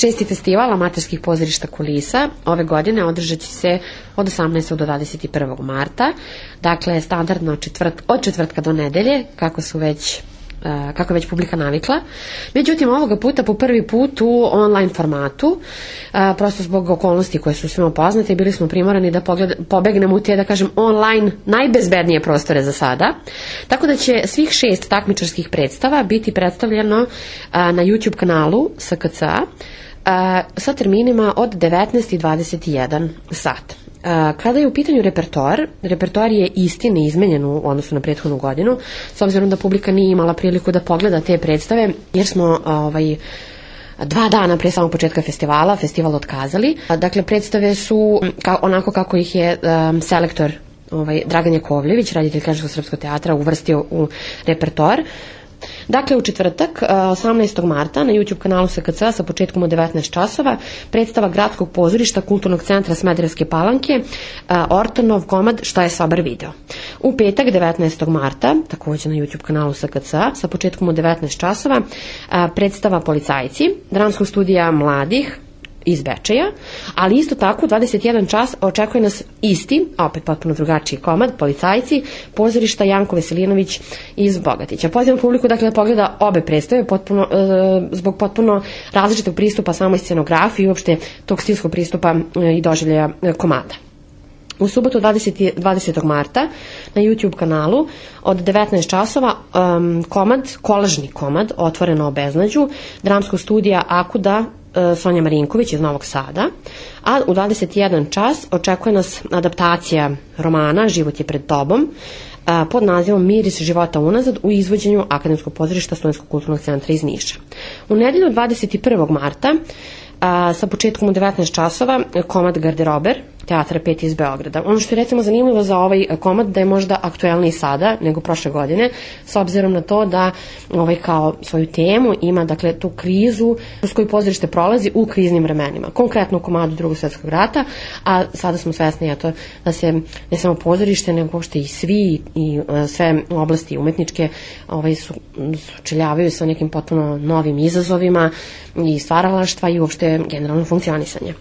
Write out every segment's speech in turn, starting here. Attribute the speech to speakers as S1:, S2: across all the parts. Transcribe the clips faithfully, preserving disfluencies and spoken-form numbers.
S1: Šesti festival amaterskih pozorišta kulisa ove godine održat će se od osamnaestog do dvadeset prvog marta, dakle standardno četvrt, od četvrtka do nedelje, kako su već kako već publika navikla. Međutim, ovoga puta po prvi put u online formatu, prosto zbog okolnosti koje su svima poznate, bili smo primorani da pogled, pobegnemo u te, da kažem, online najbezbednije prostore za sada. Tako da će svih šest takmičarskih predstava biti predstavljeno na YouTube kanalu S K C A sa terminima od devetnaest i dvadeset jedan sat. Kada je u pitanju repertoar, repertoar je isti, neizmenjen u odnosu na prethodnu godinu, s obzirom da publika nije imala priliku da pogleda te predstave, jer smo ovaj, dva dana pre samog početka festivala, festival otkazali. Dakle, predstave su ka, onako kako ih je um, selektor ovaj, Dragan Jakovljević, reditelj Klasičkog srpskog teatra, uvrstio u repertoar. Dakle, u četvrtak, osamnaestog marta, na YouTube kanalu S K C A sa početkom od devetnaest časova, predstava Gradskog pozorišta Kulturnog centra Smederevske Palanke, Ortonov komad Šta je Sobar video. U petak, devetnaestog marta, također na YouTube kanalu S K C A sa početkom od devetnaest časova, predstava Policajci, dramskog studija mladih iz Bečeja, ali isto tako u dvadeset jedan čas očekuje nas isti, opet potpuno drugačiji komad, Policajci, pozorišta Janko Veselinović iz Bogatića. Pozivam publiku dakle da pogleda obe predstave potpuno, e, zbog potpuno različitog pristupa samoj scenografiji i uopšte tog stilskog pristupa e, i doživljaja e, komada. U subotu dvadesetog marta na YouTube kanalu od devetnaest časova um, komad, kolažni komad, Otvoreno o beznađu, dramskog studija Akuda Sonja Marinković iz Novog Sada, a u dvadeset jedan čas očekuje nas adaptacija romana Život je pred tobom pod nazivom Miris života unazad u izvođenju Akademskog pozorišta Studentskog kulturnog centra iz Niša. U nedelju dvadeset prvog marta a, sa početkom u devetnaest časova komad Garderober Teatra pet iz Beograda. Ono što je recimo zanimljivo za ovaj komad da je možda aktuelniji sada nego prošle godine, s obzirom na to da ovaj kao svoju temu ima dakle tu krizu kroz koju pozorište prolazi u kriznim vremenima. Konkretno u komadu Drugog svjetskog rata, a sada smo svesni eto, da se ne samo pozorište nego uopšte i svi i sve oblasti umetničke ovaj, su, sučeljavaju sa nekim potpuno novim izazovima i stvaralaštva i uopšte generalno funkcionisanje.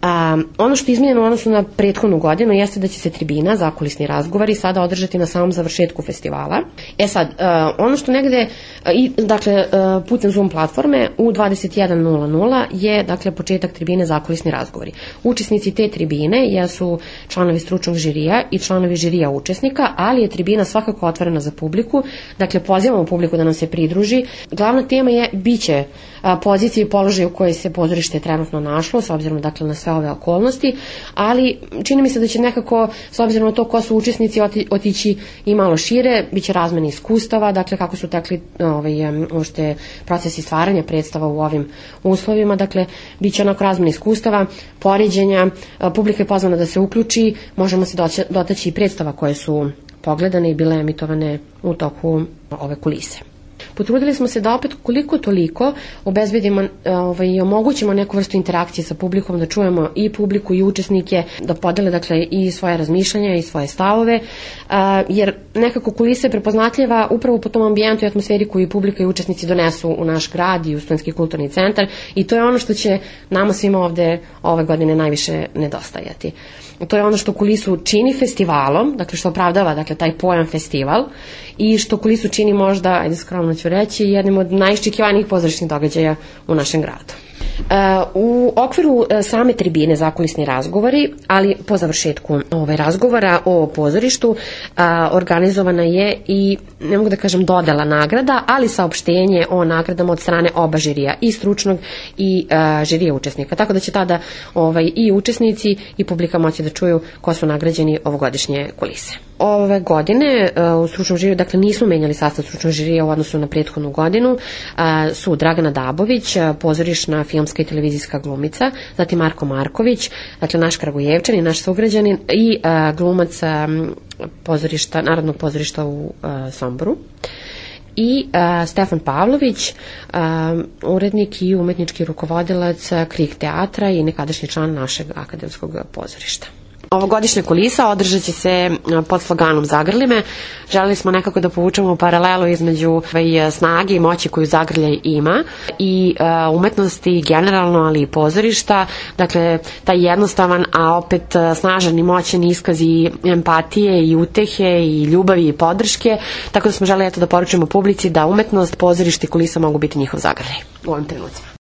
S1: A, ono što je izmenjeno u odnosu na prethodnu godinu jeste da će se tribina, zakulisni razgovori, sada održati na samom završetku festivala. E sad, a, ono što negde, a, i, dakle, a, putem Zoom platforme u dvadeset jedan nula nula je, dakle, početak tribine zakulisni razgovori. Učesnici te tribine jesu članovi stručnog žirija i članovi žirija učesnika, ali je tribina svakako otvorena za publiku, dakle, pozivamo publiku da nam se pridruži. Glavna tema je, biće a, pozicije i položaj u kojoj se pozorište trenutno našlo, s obzirom, dakle, na sve ove okolnosti, ali čini mi se da će nekako, s obzirom na to ko su učesnici, oti, otići i malo šire, bit će razmene iskustava, dakle kako su tekli ovaj, uopšte procesi stvaranja predstava u ovim uslovima, dakle bit će onako razmene iskustava, poređenja, publika je pozvana da se uključi, možemo se doći, dotaći i predstava koje su pogledane i bile emitovane u toku ove kulise. Potrudili smo se da opet koliko toliko obezbedimo ovaj, i omogućimo neku vrstu interakcije sa publikom, da čujemo i publiku i učesnike, da podele dakle i svoje razmišljanja i svoje stavove, a, jer nekako kulisa je prepoznatljiva upravo po tom ambijentu i atmosferi koju publika i učesnici donesu u naš grad i u Studentski kulturni centar i to je ono što će nama svima ovde ove godine najviše nedostajati. To je ono što kulisu čini festivalom, dakle što opravdava dakle, taj pojam festival i što kulisu čini možda, ajde skromno ću reći, jednim od najiščekivanijih pozorišnih događaja u našem gradu. U okviru same tribine zakulisni razgovori, ali po završetku ovaj razgovora o pozorištu organizovana je i, ne mogu da kažem dodela nagrada, ali saopštenje o nagradama od strane oba žirija, i stručnog i žirija učesnika. Tako da će tada ovaj, i učesnici i publika moći da čuju ko su nagrađeni ovogodišnje kulise. Ove godine u stručnom žiriju, dakle nismo menjali sastav stručnog žirija u odnosu na prethodnu godinu, su Dragana Dabović, pozorišna, filmska i televizijska glumica, zatim Marko Marković, dakle naš Kragujevčanin, naš sugrađanin i glumac pozorišta, Narodnog pozorišta u Somboru. I uh, Stefan Pavlović, uh, urednik i umetnički rukovodilac Krik teatra i nekadašnji član našeg akademskog pozorišta. Ovogodišnja kulisa održat će se pod sloganom Zagrli me. Želeli smo nekako da povučemo paralelu između snage i moći koju Zagrljaj ima i umetnosti generalno, ali i pozorišta. Dakle, taj jednostavan, a opet snažan i moćan iskaz i empatije i utehe i ljubavi i podrške. Tako da smo želeli eto da poručimo publici da umetnost, pozorište i kulisa mogu biti njihov zagrljaj u ovim trenucima.